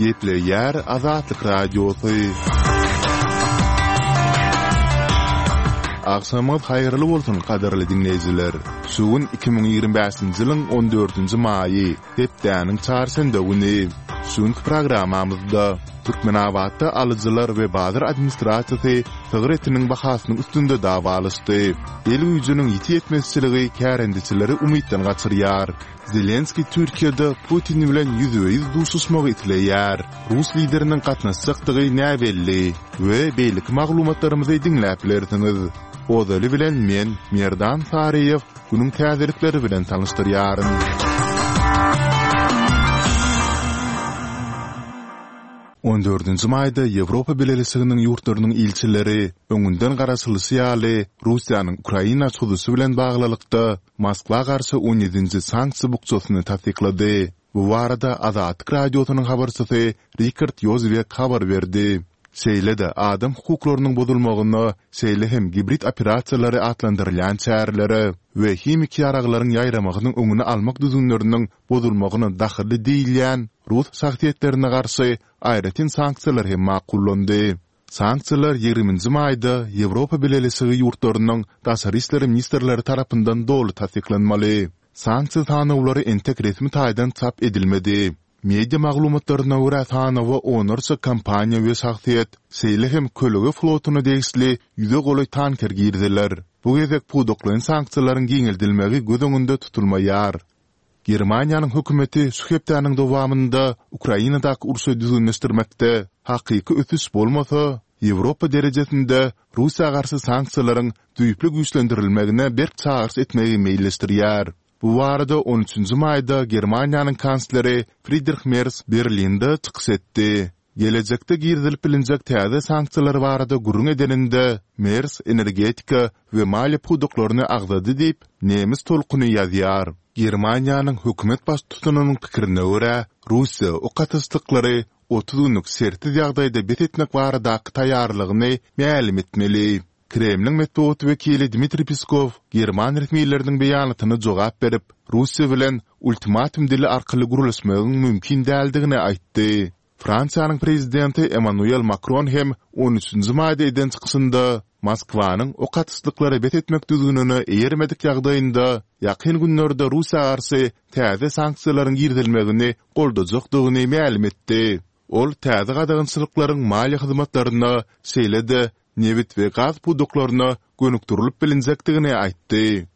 Gepleýär Azatlyk Radiosy. Agşamyňyz haýyrly bolsun, gadyrly diňleýjiler! Şu gün 2025-nji ýylyň on dördünji maýy, hepdäniň çarşenbe güni. Şu günki programmamyzda Türkmenabatda alyjylar we bazar administrasiýasy sygyr etiniň bahasynyň üstünde dawalaşdy. El güýjüniň ýiti ýetmezçiligi kärendeçileri umytdan gaçyrýar. Zelenskiý Türkiýede Putin bilen ýüzbe-ýüz duşuşmagy isleýär. Rus lideriniň gatnaşjakdygy näbelli we beýleki maglumatlarymyzy diňläp bilersiňiz. Ozaly bilen men, Merdan Saryýew, günüň täzelikleri bilen tanyşdyrýaryn. On dördünji maýda Ýewropa Bileleşiginiň ýurtlarynyň ilçileri, öňünden garaşylyşy ýaly, Russiýanyň Ukraina çozuşy bilen baglylykda, Moskwa garşy on ýedinji sanksiýa bukjasyny tassyklady. Bu barada Azatlyk Radiosynyň habarçysy Rikard Ýozwiak habar berdi. Şeýle-de adam hukuklarynyň bozulmagyna, şeýle hem gibrid operasiýalary atlandyrylýan çärelere we himiki ýaraglaryň ýaýramagynyň öňüni almak düzgünleriniň bozulmagyna dahylly diýilýän rus şahsyýetlerine garşy aýratyn sanksiýalar hem makullandy. Sanksiýalar ýigriminji maýda Ýewropa Bileleşigi ýurtlarynyň daşary işler ministrleri tarapyndan doly tassyklanmaly. Sanksiýa sanawlary entek resmi taýdan çap edilmedi. Media maglumatlaryna görä sanawa onlarça kompaniýa we şahsyýet, şeýle hem kölege flotuna degişli ýüze golaý tanker giriziler. Bu gezek pudaklaýyn sanksiýalaryň giňeldilmegi göz öňünde tutulmaýar. Germaniýanyň hökümeti şu hepdäniň dowamynda Ukrainadaky urşy düzgünleşdirmekde hakyky ösüş bolmasa, Ýewropa derejesinde Russiýa garşy sanksiýalaryň düýpli güýçlendirilmegine berk çagyryş etmegi meýilleşdirýär. Bu barada on üçünji maýda Germaniýanyň kansleri Fridrih Mers Berlinde çykyş etdi. Gelejekde girizilip bilinjek täze sanksiýalar barada gürrüň edeninde, Mers energetika we maliýe pudaklaryny agzady diýip, Nemes tolkuny ýazýar. Germaniýanyň hökümet baştutanynyň pikirine görä, Russiýa ok atyşlyklary 30 günlük şertsiz ýagdaýda bes etmek baradaky taýýarlygyny mälim etmeli. Kremliň metbugat wekili Dmitriý Peskow german resmileriniň beýanatyna jogap berip, Russiýa bilen ultimatum dili arkaly gürleşmegiň mümkin däldigini aýtdy. Fransiýanyň prezidenti Emmanuel Makron hem on üçünji maýda eden çykyşynda Moskwanyň ok atyşlyklary bes etmek düzgünine eýermedik ýagdaýynda ýakyn günlerde Russiýa garşy täze sanksiýalaryň girizilmegini goldajakdygyny mälim etdi. Ol täze gadagançylyklaryň maliýe hyzmatlaryna, şeýle-de nebit we gaz pudaklaryna gönükdirilip bilinjekdigini aýtdy.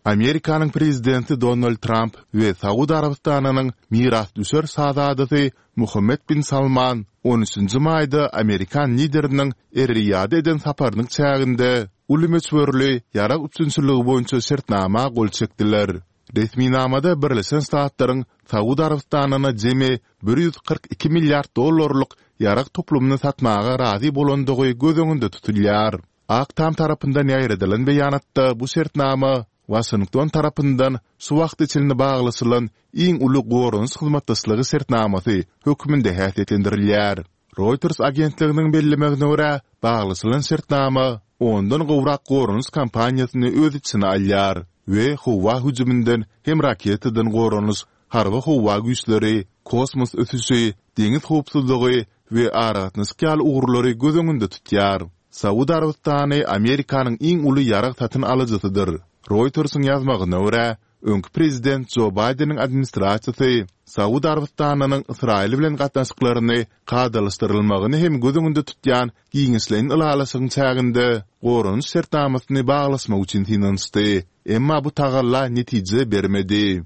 Amerikanyň prezidenti Donald Tramp we Saud Arabystanynyň mirasdüşer şazadasy Muhammed bin Salman on üçünji maýda amerikan lideriniň Er-Riýada eden saparynyň çäginde uly möçberli ýarag üpjünçiligi boýunça şertnama gol çekdiler. Resminamada Birleşen Ştatlaryň Saud Arabystanyna jemi 142 milliard dollarlyk ýarag toplumyny satmaga razy bolandygy göz öňünde tutulýar. Ak Tam tarapyndan ýaýradylan beýanatda bu şertnama Waşington tarapyndan şu wagta çenli baglaşylan iň uly goranyş hyzmatdaşlygy şertnamasy hökmünde häsiýetlendirilýär. Reuters agentliginiň bellemegine görä, baglaşylan şertnama ondan gowrak goranyş kompaniýasyny öz içine alýar we howa hüjüminden hem raketadan goranyş, harby-howa güýçleri, kosmos ösüşi, deňiz howpsuzlygy we aragatnaşyk ýaly ugurlary göz öňünde tutýar. Saud Arabystany Amerikanyň iň uly ýarag satyn alyjysydyr. Reutersiň ýazmagyna görä, öňki prezident Jo Baýdeniň administrasiýasy Saud Arabystanynyň Ysraýyl bilen gatnaşyklaryny kadalaşdyrylmagyny hem göz öňünde tutýan giňişleýin ylalaşygyň çäginde goranyş şertnamasyny baglaşmak üçin synanyşdy, emma bu tagalla netije bermedi.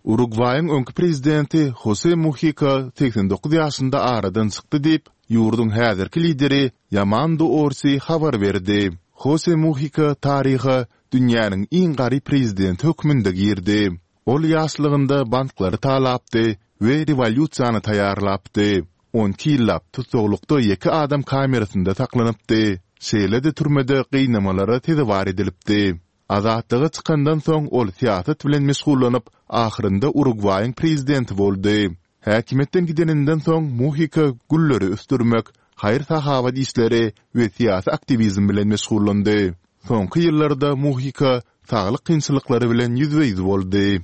Urugwaýyň öňki prezidenti Hose Muhika 89 ýaşynda aradan çykdy diýip, ýurduň häzirki lideri Ýamando Orsi habar berdi. Hose Muhika taryha dünýäniň iň garyp prezidenti hökmünde girdi. Ol ýaşlygynda banklary talapdy we rewolýusiýany taýýarlapdy. 12 ýyllap tussaglykda ýeke adam kamerasynda saklanypdy, şeýle-de türmede gynamalara sezewar edilipdi. Azatlyga çykandan soň ol syýasat bilen meşgullanyp, ahyrynda Urugwaýyň prezidenti boldy. Häkimiýetden gideninden soň Muhika gülleri ösdürmek, haýyr-sahawat işleri we syýasy aktiwizm bilen meşgullandy. Soňky ýyllarda Muhika saglyk kynçylyklary bilen ýüzbe-ýüz boldy.